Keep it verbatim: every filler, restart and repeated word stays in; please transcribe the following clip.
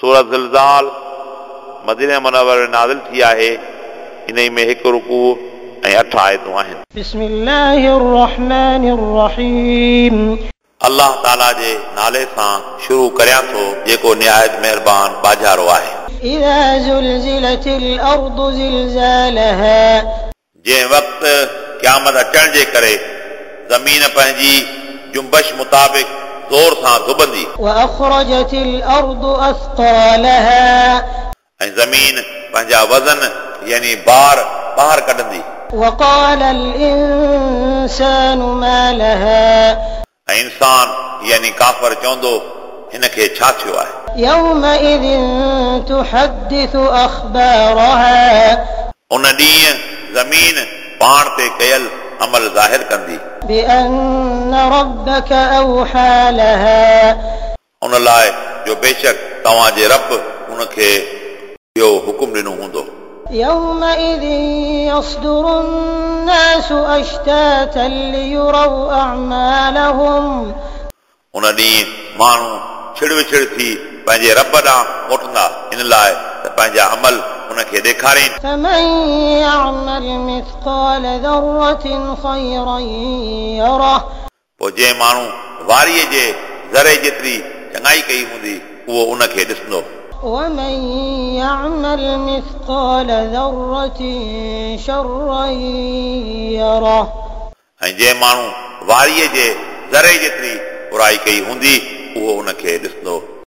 सूरत ज़िलज़ाल मदीने मुनव्वर में नाज़िल थी आहे। इन्हई में हिकु रुकू ऐं अठ आयतूं आहिनि। بسم الله الرحمن الرحيم। अल्लाह ताला जे नाले सां शुरू करियां थो जेको निहायत महिरबान बाजारो आहे। إذا زلزلت الأرض زلزالها। जंहिं वक़्तु क़यामत अचण जे करे ज़मीन पंहिंजी जुंबश मुताबिक़ ज़ोर सां धुबंदी وأخرجت الأرض أثقالها। ऐं ज़मीन पंहिंजा वज़न यानी बार ॿाहिरि कढंदी। وقال الإنسان ما لها। ऐं इंसान यानी काफ़र चवंदो हिन खे छा थियो आहे। يومئذ تحدث أخبارها। उन ॾींहुं ज़मीन पाण ते कयल अमल ज़ाहिर कंदी। بأن ربك أوحى لها। उन लाइ जो बेशक तव्हांजे रब उनखे इहो हुकुम ॾिनो हूंदो। يومئذ يصدر الناس أشتاتا ليروا أعمالهم। उन ॾींहुं माण्हू छिड़ विछड़ थी पंहिंजे रब ॾांहुं मोटंदा इन लाइ त पंहिंजा अमल उनखे ॾेखारीनि। فمن يعمل مثقال ذرة خيرا يره। पोइ जंहिं माण्हू वारीअ जे ज़रे जेतिरी चङाई कई हूंदी उहो उनखे ॾिसंदो। ومن يعمل مثقال ذرة شرا يره। ऐं जंहिं माण्हू वारीअ जे ज़रे जेतिरी बुराई कई हूंदी उहो उनखे ॾिसंदो।